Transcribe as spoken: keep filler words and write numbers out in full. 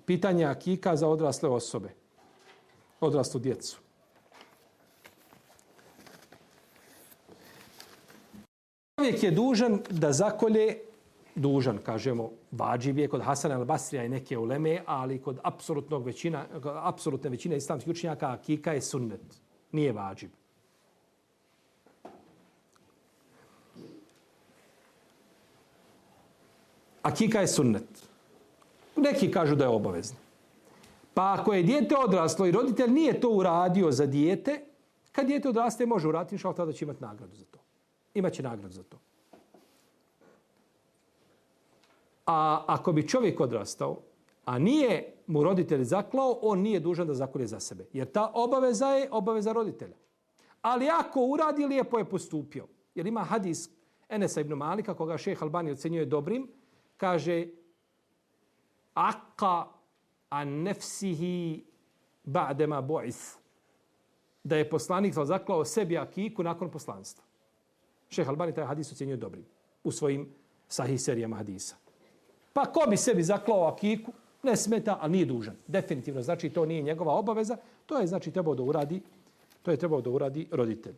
pitanje akika za odrasle osobe, odraslu djecu. Čovjek je dužan da zakolje, dužan, kažemo, vađib je kod Hasana al-Basrija i neke uleme, ali kod apsolutnog većina, apsolutne većine islamskih učenjaka akika je sunnet, nije vađib. Akika je sunnet. Neki kažu da je obavezno. Pa ako je dijete odraslo i roditelj nije to uradio za dijete, kad dijete odraste može uraditi, inšallah tada će imati nagradu za to. Imaće nagradu za to. A ako bi čovjek odrastao, a nije mu roditelj zaklao, on nije dužan da zakolje za sebe. Jer ta obaveza je obaveza roditelja. Ali ako uradi, lijepo je postupio. Jer ima hadis Enesa ibn Malika, koga šejh Albani ocenjuje dobrim, kaže Aqqa an nefsihi ba'dema bu'is. Da je poslanik zaklao sebi akiku nakon poslanstva. Šejh Albani taj hadis ocenjuje dobrim u svojim sahih serijama hadisa. Pa ko bi sebi zaklao akiku, ne smeta, ali nije dužan. Definitivno, znači to nije njegova obaveza, to je znači trebao da uradi, to je trebao da uradi roditelj.